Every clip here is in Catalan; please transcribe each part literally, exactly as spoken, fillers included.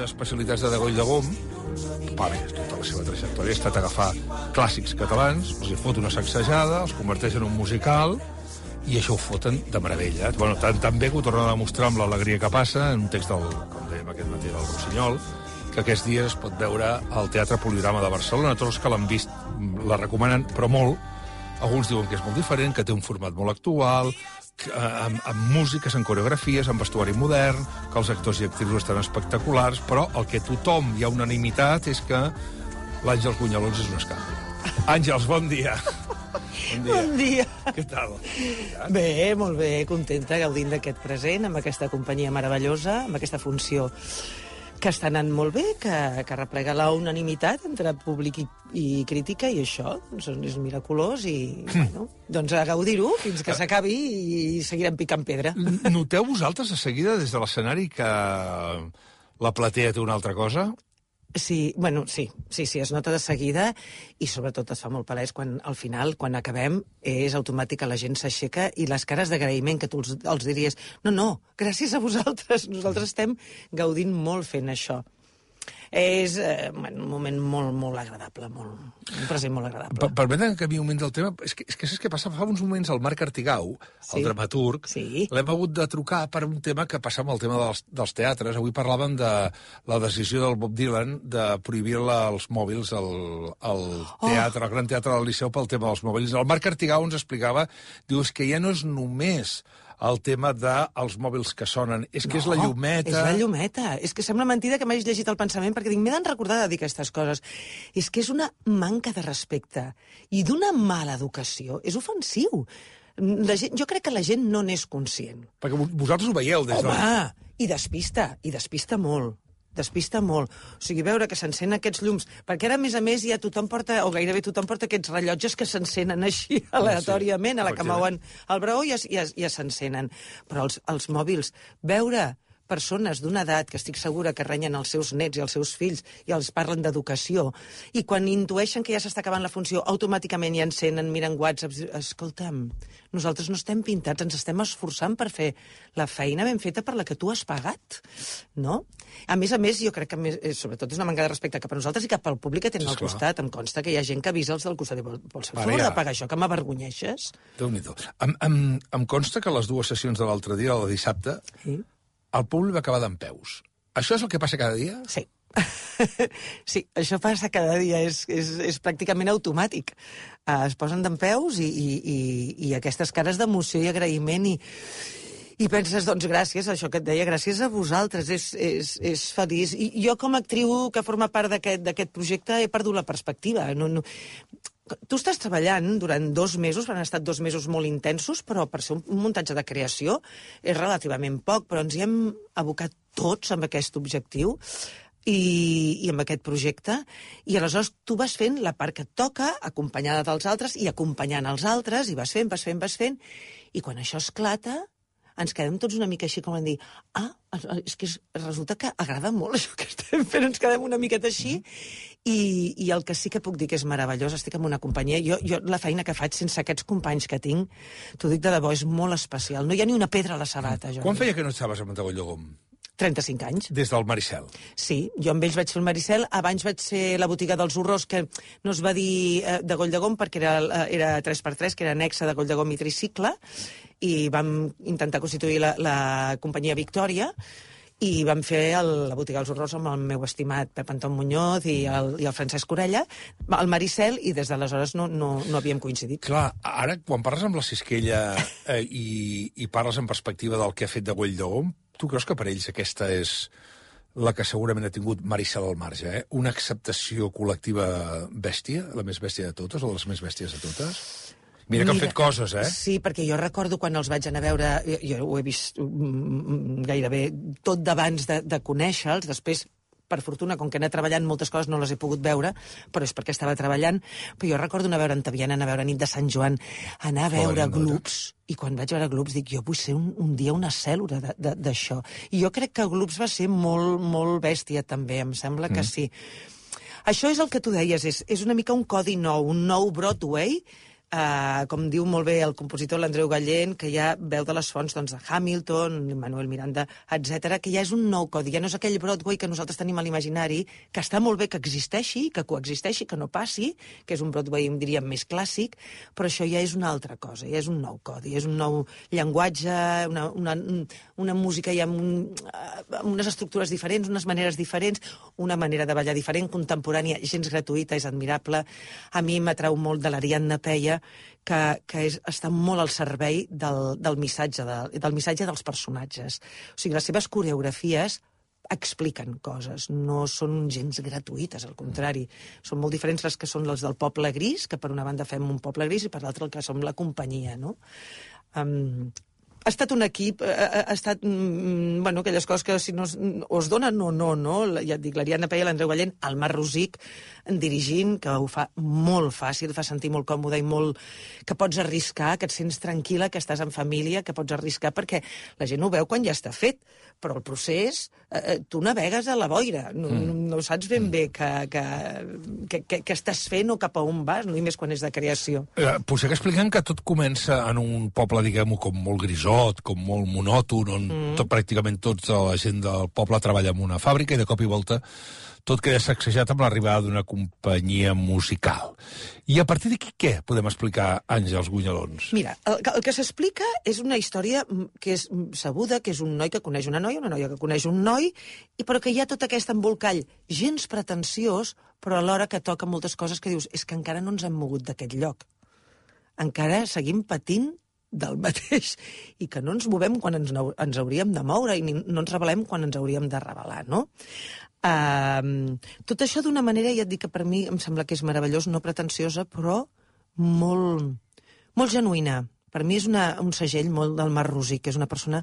especialitats de Degoll de Gom, va bé, tota la seva trajectòria ha estat agafar clàssics catalans, els hi fot una sacsejada, els converteix en un musical, i això ho foten de meravella. Bueno, tan, tan bé que ho tornen a demostrar amb l'Alegria que passa, en un text del, com dèiem aquest matí, del Rossinyol, que aquests dies es pot veure al Teatre Poligrama de Barcelona. Tots els que l'han vist la recomanen, però molt. Alguns diuen que és molt diferent, que té un format molt actual, que, amb, amb músiques, amb coreografies, amb vestuari modern, que els actors i actrius estan espectaculars, però el que tothom hi ha unanimitat és que l'Àngels Bunyalons és un escàndol. Àngels, bon dia. Bon dia. Bon dia. Què tal? Bé, molt bé, contenta, gaudint d'aquest present, amb aquesta companyia meravellosa, amb aquesta funció que està anant molt bé, que, que replega la unanimitat entre públic i, i crítica, i això doncs, és miraculós, i bueno, doncs a gaudir-ho fins que s'acabi i seguirem picant pedra. Noteu vosaltres de seguida des de l'escenari que la platea té una altra cosa? Sí, bueno, sí, sí, sí, es nota de seguida, i sobretot es fa molt palès quan al final, quan acabem, és automàtic que la gent s'aixeca i les cares d'agraïment que tu els, els diries, no, no, gràcies a vosaltres, nosaltres estem gaudint molt fent això. És eh, bueno, un moment molt, molt agradable, molt, un present molt agradable. Per, permetem que a mi un moment del tema... És que, és que saps què passa? Fa uns moments el Marc Artigau, sí, el dramaturg, sí, l'hem hagut de trucar per un tema que passa amb el tema dels, dels teatres. Avui parlàvem de la decisió del Bob Dylan de prohibir la, els mòbils al, al teatre, oh. al Gran Teatre del Liceu, pel tema dels mòbils. El Marc Artigau ens explicava, diu, és que ja no és només el tema dels mòbils que sonen. És que no, és la llumeta... és la llumeta. És que sembla mentida que m'hagis llegit el pensament, perquè dic, m'he de recordar de dir aquestes coses. És que és una manca de respecte i d'una mala educació. És ofensiu. La gent, jo crec que la gent no n'és conscient. Perquè vosaltres ho veieu des Home, de... Home, i despista, i despista molt. Despista molt. O sigui, veure que s'encenen aquests llums, perquè ara, a més a més, ja tothom porta, o gairebé tothom porta aquests rellotges que s'encenen així aleatòriament, a la que mouen el braó i ja, ja, ja s'encenen. Però els, els mòbils, veure persones d'una edat que estic segura que renyen els seus nets i els seus fills i els parlen d'educació, i quan intueixen que ja s'està acabant la funció, automàticament ja encenen, miren whatsapps. Escolta'm, nosaltres no estem pintats, ens estem esforçant per fer la feina ben feta per la que tu has pagat, no? A més a més, jo crec que més, sobretot és una manca de respecte cap a nosaltres i cap al públic que tenen al costat. Em consta que hi ha gent que avisa els del costat i vol, vols fer favor de pagar això, que m'avergonyeixes? Déu-n'hi-do. Em, em, em consta que les dues sessions de l'altre dia, la de dissabte, sí, el públic va acabar dempeus. Això és el que passa cada dia? Sí. Sí, això passa cada dia, és, és, és pràcticament automàtic. Uh, es posen dempeus i, i, i, i aquestes cares d'emoció i agraïment i, i penses, doncs gràcies, això que et deia, gràcies a vosaltres, és, és, és feliç. I jo com a actriu que forma part d'aquest projecte he perdut la perspectiva. No, no... Tu estàs treballant durant dos mesos, han estat dos mesos molt intensos, però per ser un muntatge de creació és relativament poc, però ens hi hem abocat tots amb aquest objectiu i, i amb aquest projecte, i aleshores tu vas fent la part que et toca, acompanyada dels altres, i acompanyant els altres, i vas fent, vas fent, vas fent, i quan això esclata, ens quedem tots una mica així com a dir, ah, és que resulta que agrada molt això que estem fent, ens quedem una miqueta així, i, i el que sí que puc dir que és meravellós, estic en una companyia, jo, jo la feina que faig sense aquests companys que tinc, t'ho dic de debò, és molt especial, no hi ha ni una pedra a la sabata. Jo. Quan feia que no estaves a Montagoll de Gom? trenta-cinc anys. Des del Maricel? Sí, jo amb ells vaig fer el Maricel, abans vaig ser la botiga dels horrors, que no es va dir eh, de Goll de Gom perquè era, era tres per tres, que era anexa de Goll de Gom i Tricicle, i vam intentar constituir la, la companyia Victòria, i vam fer el, la botiga dels horrors amb el meu estimat Pep Anton Muñoz i el, i el Francesc Orella, el Maricel, i des d'aleshores no, no, no havíem coincidit. Clar, ara, quan parles amb la Sisquella eh, i, i parles en perspectiva del que ha fet de Goll de Gom, tu creus que per ells aquesta és la que segurament ha tingut Maricel al marge, eh? Una acceptació col·lectiva bèstia, la més bèstia de totes, o de les més bèsties de totes? Mira que han fet coses, eh? Sí, perquè jo recordo quan els vaig anar a veure, jo, jo ho he vist gairebé tot d'abans de, de conèixer-los, després, per fortuna, com que he anat treballant, moltes coses no les he pogut veure, però és perquè estava treballant, però jo recordo anar a veure Antaviana, anar a veure Nit de Sant Joan, anar a veure oh, Gloops, i quan vaig veure Gloops dic, jo vull ser un, un dia una cèl·lula d'això. I jo crec que Gloops va ser molt, molt bèstia, també, em sembla que mm. sí. Això és el que tu deies, és, és una mica un codi nou, un nou Broadway, Uh, com diu molt bé el compositor l'Andreu Gallén, que ja veu de les fonts doncs, de Hamilton, Manuel Miranda, etcètera, que ja és un nou codi, ja no és aquell Broadway que nosaltres tenim a l'imaginari, que està molt bé que existeixi, que coexisteixi, que no passi, que és un Broadway, diríem, més clàssic, però això ja és una altra cosa, ja és un nou codi, és un nou llenguatge, una, una, una música ja amb, un, amb unes estructures diferents, unes maneres diferents, una manera de ballar diferent, contemporània, gens gratuïta, és admirable. A mi m'atrau molt de l'Ariadna Peia, que, que és, està molt al servei del, del, missatge de, del missatge dels personatges. O sigui, les seves coreografies expliquen coses, no són gens gratuïtes, al contrari. Són molt diferents les que són les del Poble Gris, que per una banda fem un Poble Gris i per l'altra el que som la companyia, no? Um, ha estat un equip, ha, ha estat, mm, bueno, aquelles coses que si no o es donen o no, no? Ja et dic, l'Ariadna Peia, l'Andreu Gallén, el Marc Rosic, dirigint, que ho fa molt fàcil, fa sentir molt còmode i molt... que pots arriscar, que et sents tranquil·la, que estàs en família, que pots arriscar, perquè la gent ho veu quan ja està fet, però el procés, eh, tu navegues a la boira, no, mm. no, no saps ben bé que, que, que, que, que estàs fent o cap a on vas, no? I més quan és de creació. Eh, potser que expliquen que tot comença en un poble, diguem-ho, com molt grisot, com molt monòton, on mm. tot, pràcticament tota la gent del poble treballa en una fàbrica i de cop i volta tot queda sacsejat amb l'arribada d'una companyia musical. I a partir d'aquí què podem explicar, Àngels Gunyalons? Mira, el, el que s'explica és una història que és sabuda, que és un noi que coneix una noia, una noia que coneix un noi, i però que hi ha tot aquest embolcall gens pretensiós, però alhora que toca moltes coses que dius, és que encara no ens hem mogut d'aquest lloc. Encara seguim patint del mateix, i que no ens movem quan ens, ens hauríem de moure i no ens rebel·lem quan ens hauríem de rebel·lar, no? Uh, tot això d'una manera, ja et dic que per mi em sembla que és meravellós, no pretensiosa, però molt, molt genuïna. Per mi és una, un segell molt del Marc Rosic, que és una persona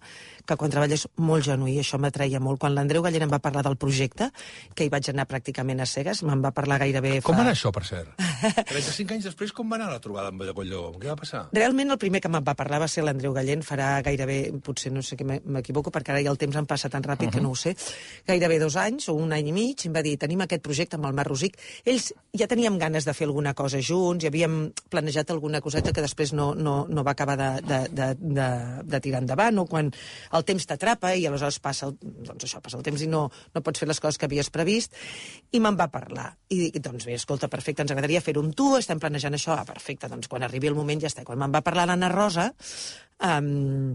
que quan treballa és molt genuí, això m'atreia molt. Quan l'Andreu Gallén em va parlar del projecte, que hi vaig anar pràcticament a cegues, me'n va parlar gairebé fa... Com va anar això, per cert? trenta-cinc anys després, com va anar la trobada amb Colló? Què va passar? Realment el primer que me'n va parlar va ser l'Andreu Gallén, farà gairebé, potser no sé què m'equivoco, perquè ara ja el temps em passa tan ràpid uh-huh. que no ho sé, gairebé dos anys o un any i mig, em va dir, tenim aquest projecte amb el Marc Rosic. Ells ja teníem ganes de fer alguna cosa junts, i havíem planejat alguna coseta que després no, no, no va acabar de, de, de, de, de tirar endavant, o quan el temps t'atrapa i aleshores passa el, doncs això, passa el temps i no, no pots fer les coses que havies previst, i me'n va parlar. I dic, doncs bé, escolta, perfecte, ens agradaria fer-ho amb tu, estem planejant això, ah, perfecte, doncs quan arribi el moment ja està. Quan me'n va parlar l'Anna Rosa, um,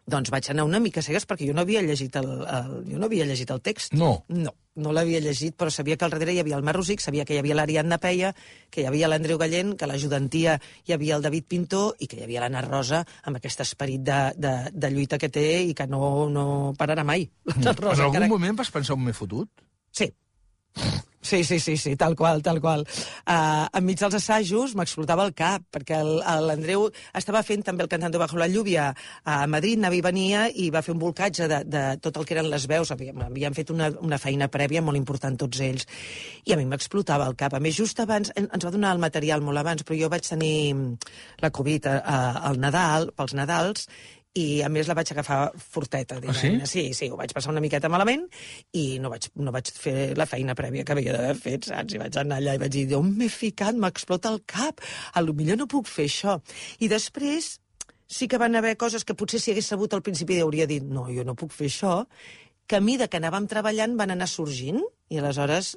doncs vaig anar una mica cegues perquè jo no havia llegit el, el, jo no havia llegit el text. No. No, no l'havia llegit, però sabia que al darrere hi havia el Marc Rosic, sabia que hi havia l'Ariadna Peia, que hi havia l'Andreu Gallén, que a l'ajudantia hi havia el David Pintor i que hi havia l'Anna Rosa amb aquest esperit de, de, de lluita que té i que no, no pararà mai. Mm. Rosa, en algun encara... moment vas pensar on m'he fotut? Sí. Sí, sí, sí, sí, tal qual, tal qual. Uh, enmig dels assajos m'explotava el cap, perquè l'Andreu estava fent també el Cantando bajo la lluvia a Madrid, anava i venia, i va fer un volcatge de, de tot el que eren les veus. Havíem, havíem fet una, una feina prèvia molt important tots ells, i a mi m'explotava el cap. A més, just abans, ens va donar el material molt abans, però jo vaig tenir la Covid al Nadal, pels Nadals, i a més la vaig agafar forteta. Ah, sí? Sí, sí, ho vaig passar una miqueta malament i no vaig, no vaig fer la feina prèvia que havia d'haver fet, saps? I vaig anar allà i vaig dir, on m'he ficat? M'explota el cap. A lo millor no puc fer això. I després sí que van haver coses que potser si hagués sabut al principi hauria dit, no, jo no puc fer això, que a mida que anàvem treballant van anar sorgint i aleshores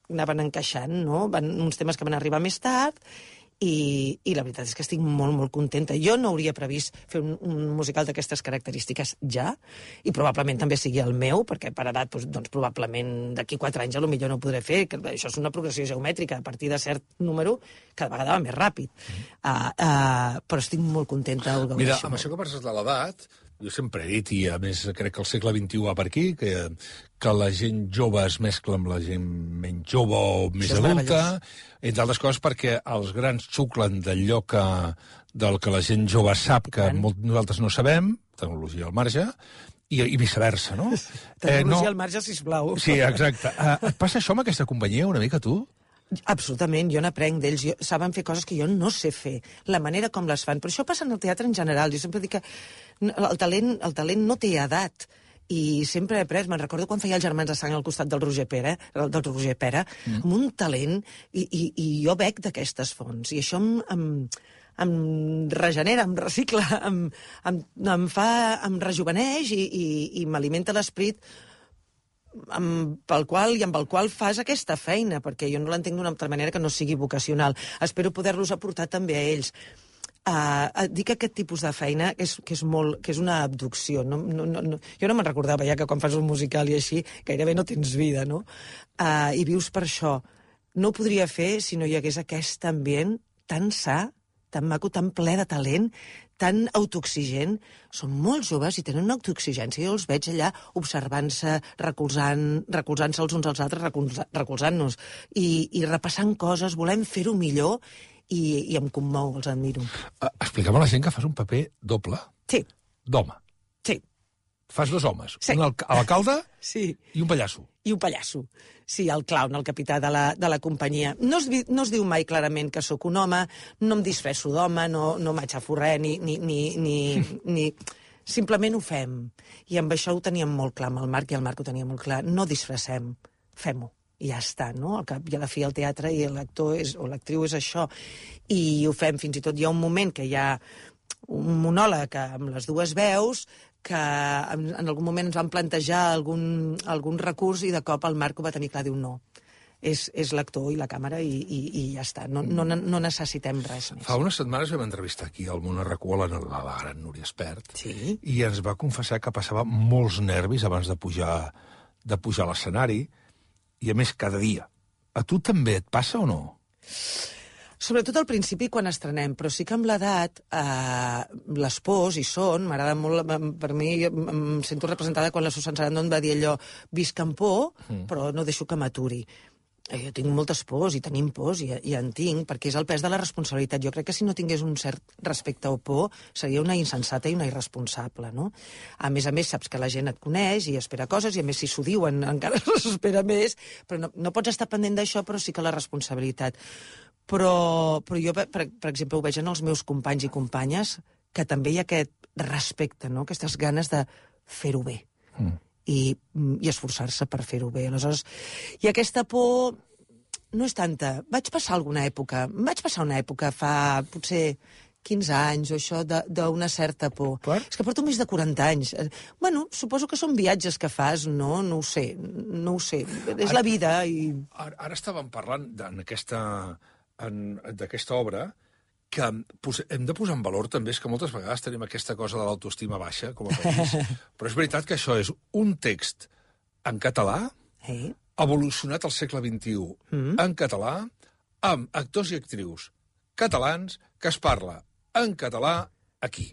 anaven encaixant, no? Van, uns temes que van arribar més tard. I, i la veritat és que estic molt, molt contenta. Jo no hauria previst fer un, un musical d'aquestes característiques ja, i probablement també sigui el meu, perquè per edat, doncs, doncs probablement d'aquí quatre anys a lo millor no ho podré fer, que això és una progressió geomètrica, a partir de cert número cada vegada va més ràpid. Mm. Uh, uh, però estic molt contenta. Mira, amb això que parles de l'edat, jo sempre he dit, i a més crec que el segle vint-i-u va per aquí, que, que la gent jove es mescla amb la gent menys jove o més adulta, entre altres coses perquè els grans xuclen d'allò que, del que la gent jove sap que molt, nosaltres no sabem, tecnologia al marge, i, i viceversa, no? Tecnologia eh, no... al marge, sisplau. Sí, exacte. Uh, et passa això amb aquesta companyia una mica, tu? Absolutament, jo n'aprenc d'ells. Saben fer coses que jo no sé fer, la manera com les fan. Però això passa en el teatre en general. Jo sempre dic que el talent, el talent no té edat. I sempre he après, me'n recordo quan feia els Germans de Sang al costat del Roger Pera, del Roger Pera, mm. amb un talent, i, i, i jo bec d'aquestes fonts. I això em, em, em regenera, em recicla, em, em, em fa, em rejuveneix i, i, i m'alimenta l'esperit amb, pel qual i amb el qual fas aquesta feina, perquè jo no l'entenc d'una altra manera que no sigui vocacional. Espero poder-los aportar també a ells. Uh, dic que aquest tipus de feina és, que, és molt, que és una abducció. No, no, no, jo no me'n recordava ja que quan fas un musical i així gairebé no tens vida, no? Uh, I vius per això. No ho podria fer si no hi hagués aquest ambient tan sa, tan maco, tan ple de talent, tan autoexigent. Són molt joves i tenen una autoexigència. Jo els veig allà observant-se, recolzant, recolzant-se els uns als altres, recolza, recolzant-nos, i, i repassant coses, volem fer-ho millor, i, i em commou, els admiro. Uh, expliquem a la gent que fas un paper doble. Sí. D'home. Sí. Fas dos homes. Sí. Un alc alcalde sí. i un pallasso. I un pallasso. Sí, el clown, el capità de la, de la companyia. No es, no es diu mai clarament que sóc un home, no em disfresso d'home, no, no m'aixafo res, ni, ni, ni, ni, ni... Simplement ho fem. I amb això ho teníem molt clar, amb el Marc, i el Marc ho tenia molt clar. No disfressem, fem-ho. I ja està, no? Al cap i a la fi el teatre i l'actor o l'actriu és això. I ho fem, fins i tot hi ha un moment que hi ha un monòleg amb les dues veus que en, en algun moment ens van plantejar algun, algun recurs i de cop el Marc ho va tenir clar, diu no. És, és l'actor i la càmera i, i, i ja està. No, no, no necessitem res més. Fa unes setmanes vam entrevistar aquí al Món Arracú a la, a la gran Núria Espert, sí? I ens va confessar que passava molts nervis abans de pujar, de pujar a l'escenari, i a més cada dia. A tu també et passa o no? Sobretot al principi quan estrenem, però sí que amb l'edat eh, les pors hi són, m'agrada molt, per mi em sento representada quan la Susan Sarandon va dir allò, visc amb por, mm. però no deixo que m'aturi. Jo tinc moltes pors i tenim pors i, i en tinc, perquè és el pes de la responsabilitat. Jo crec que si no tingués un cert respecte o por seria una insensata i una irresponsable, no? A més a més, saps que la gent et coneix i espera coses, i a més si s'ho diuen encara s'espera més, però no, no pots estar pendent d'això, però sí que la responsabilitat. Però, però jo, per, per exemple, ho veig en els meus companys i companyes, que també hi ha aquest respecte, no? Aquestes ganes de fer-ho bé. Mm. i, i esforçar-se per fer-ho bé. Aleshores, i aquesta por no és tanta. Vaig passar alguna època, vaig passar una època fa potser quinze anys o això, d'una certa por. Per? És que porto més de quaranta anys. Bueno, suposo que són viatges que fas, no? No ho sé, no ho sé. És ara, la vida i... Ara, ara estàvem parlant d'aquesta obra que hem de posar en valor també, és que moltes vegades tenim aquesta cosa de l'autoestima baixa com a país, però és veritat que això és un text en català, eh? evolucionat al segle vint-i-u, mm. en català, amb actors i actrius catalans, que es parla en català aquí.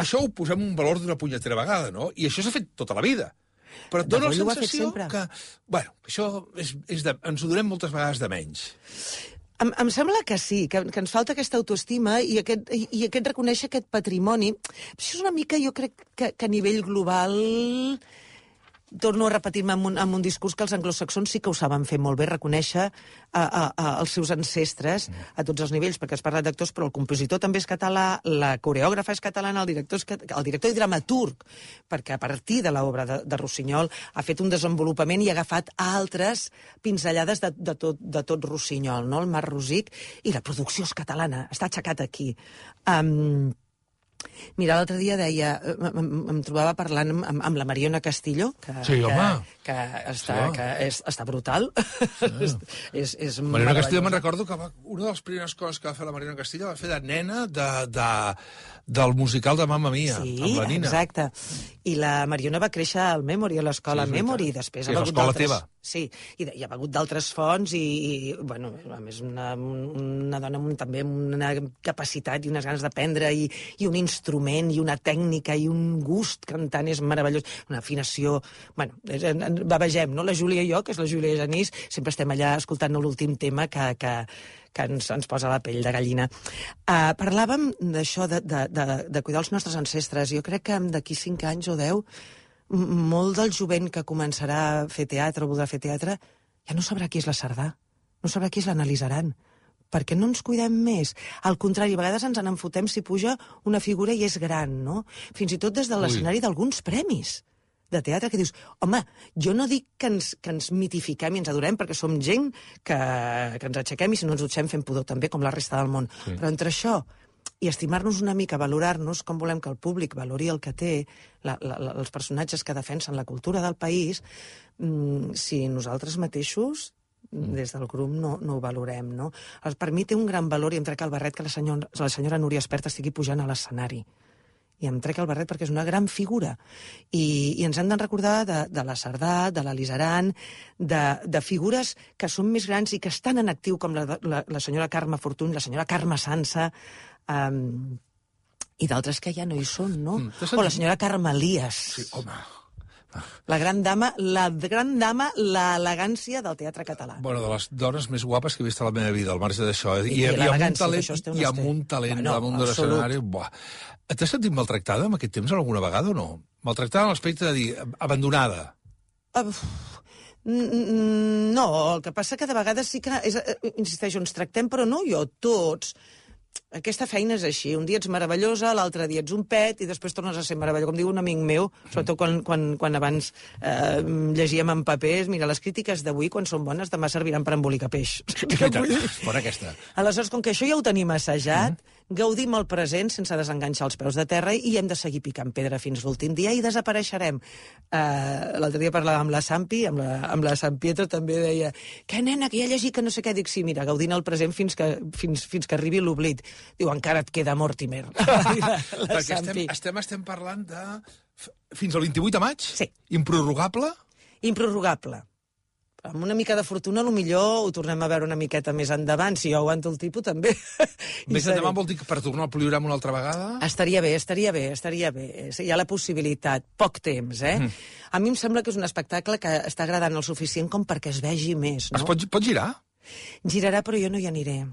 Això ho posem un valor d'una punyetera vegada, no? I això s'ha fet tota la vida. Però et dona la sensació que... Bueno, això és, és de, ens ho donem moltes vegades de menys. Em, em sembla que sí, que, que ens falta aquesta autoestima i aquest, i, i aquest reconèixer aquest patrimoni. Això és una mica, jo crec, que, que a nivell global... Torno a repetir-me amb, un, amb un discurs que els anglosaxons sí que ho saben fer molt bé, reconèixer a, a, a, els seus ancestres a tots els nivells, perquè has parlat d'actors, però el compositor també és català, la coreògrafa és catalana, el director, és, el director i dramaturg, perquè a partir de l'obra de, de Rossinyol ha fet un desenvolupament i ha agafat altres pinzellades de, de, tot, de tot Rossinyol, no? El Mar Rosic, i la producció és catalana, està aixecat aquí. Um, Mira, l'altre dia deia, em, em trobava parlant amb, amb la Mariona Castillo, que, sí, que, que, està, sí. que és, està brutal. Sí. és, és Mariona Castillo, me'n recordo que va, una de les primeres coses que va fer la Mariona Castillo va fer de nena de, de, del musical de Mamma Mia, sí, amb la Nina. Exacte. I la Mariona va créixer al Memory, a l'escola sí, Memory, i després sí, ha begut d'altres... teva. Sí, i, de, i ha begut d'altres fonts, i, i, bueno, a més, una, una dona amb, també amb una capacitat i unes ganes d'aprendre, i, i un instrument, i una tècnica, i un gust cantant és meravellós, una afinació... Bueno, bavegem, no? La Júlia i jo, que és la Júlia Genís, sempre estem allà escoltant l'últim tema que... que que ens, ens posa la pell de gallina. Uh, parlàvem d'això, de, de, de, de cuidar els nostres ancestres. Jo crec que d'aquí cinc anys o deu, molt del jovent que començarà a fer teatre o voldrà fer teatre ja no sabrà qui és la Cerdà, no sabrà qui és l'analitzaran. Per què no ens cuidem més? Al contrari, a vegades ens en enfotem si puja una figura i és gran, no? Fins i tot des de l'escenari d'alguns premis de teatre, que dius, home, jo no dic que ens, que ens mitifiquem i ens adorem, perquè som gent que, que ens aixequem i si no ens dutxem fem pudor també, com la resta del món. Sí. Però entre això i estimar-nos una mica, valorar-nos com volem que el públic valori el que té, la, la, la, els personatges que defensen la cultura del país, mm, si nosaltres mateixos des del grup no, no ho valorem, no? Per mi té un gran valor, i em trec el barret, que la senyora, la senyora Núria Espert estigui pujant a l'escenari. I em trec el barret perquè és una gran figura. I, i ens hem de recordar de, de la Cerdà, de la Lisaran, de, de figures que són més grans i que estan en actiu, com la, la, la senyora Carme Fortuny, la senyora Carme Sansa, um, i d'altres que ja no hi són, no? Mm, o la senyora Carme Elias. Sí, home... La gran dama, la gran dama, l'elegància del teatre català. Bueno, de les dones més guapes que he vist a la meva vida, al marge d'això. I, I, i, i amb un talent, i amb un talent bueno, damunt de l'escenari. T'has sentit maltractada en aquest temps alguna vegada o no? Maltractada en l'aspecte de dir, abandonada. Uh, no, el que passa que de vegades sí que, és, insisteixo, ens tractem, però no jo, tots. Aquesta feina és així, un dia ets meravellosa, l'altre dia ets un pet i després tornes a ser meravellós. Com diu un amic meu, sobretot quan, quan, quan abans eh, llegíem en papers, mira, les crítiques d'avui, quan són bones, demà serviran per embolicar peix. Fora aquesta. Aleshores, com que això ja ho tenim assajat, mm-hmm. gaudim el present sense desenganxar els peus de terra i hem de seguir picant pedra fins l'últim dia i desapareixerem. Uh, L'altre dia parlàvem amb la Sampi, amb la, amb la San Pietro també deia, que nena, que ja llegit que no sé què. Dic, sí, mira, gaudint el present fins que, fins, fins que arribi l'oblit. Diu, encara et queda Mortimer. la, la Perquè estem, estem, estem parlant de... Fins al vint-i-vuit de maig? Sí. Improrrogable? Improrrogable. Amb una mica de fortuna, potser ho tornem a veure una miqueta més endavant. Si jo aguanto el tipus, també. Més endavant vol dir que per tornar al poliorama una altra vegada? Estaria bé, estaria bé, estaria bé. Hi ha la possibilitat. Poc temps, eh? Mm. A mi em sembla que és un espectacle que està agradant el suficient com perquè es vegi més, no? Es pot, pot girar? Girarà, però jo no hi aniré.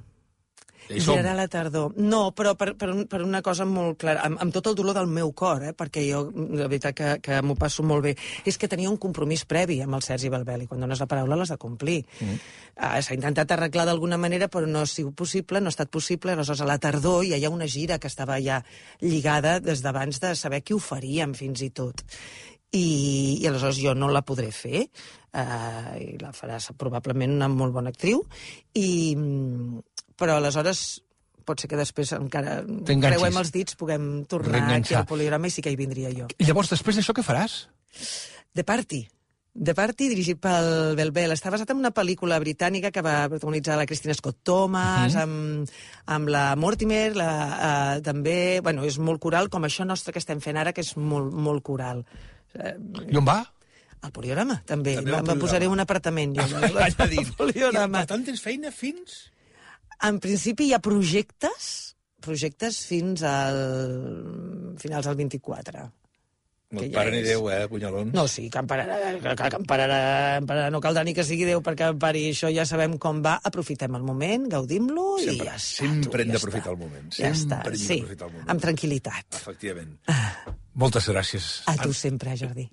Girarà a la tardor. No, però per, per, per una cosa molt clara, amb, amb tot el dolor del meu cor, eh, perquè jo, de veritat, que, que m'ho passo molt bé, és que tenia un compromís previ amb el Sergi Balbel, i quan dones la paraula l'has de complir. Mm. Uh, S'ha intentat arreglar d'alguna manera, però no ha sigut possible, no ha estat possible, aleshores a la tardor ja hi ha una gira que estava ja lligada des d'abans de saber qui ho faríem, fins i tot. I, i aleshores jo no la podré fer, uh, i la farà probablement una molt bona actriu, i... però aleshores pot ser que després encara creuem els dits, puguem tornar aquí al poliorama i sí que hi vindria jo. I llavors, després d'això, què faràs? The Party. The Party, dirigit pel Belbel. Està basat en una pel·lícula britànica que va protagonitzar la Christina Scott Thomas, uh -huh. amb, amb la Mortimer, la, uh, també... Bueno, és molt coral, com això nostre que estem fent ara, que és molt, molt coral. I on va? Al poliorama, també. també me posaré un apartament. Jo, al poliorama. I, per tant, tens feina fins... En principi hi ha projectes, projectes fins al finals del vint-i-quatre. No et para ni Déu, eh, punyalons? No, sí, que em pararà, que, que em pararà, em pararà, no caldrà ni que sigui Déu perquè em pari. Això ja sabem com va, aprofitem el moment, gaudim-lo i ja està. Sempre hem d'aprofitar el moment. Ja està, sí, amb tranquil·litat. Efectivament. Moltes gràcies. A tu sempre, Jordi.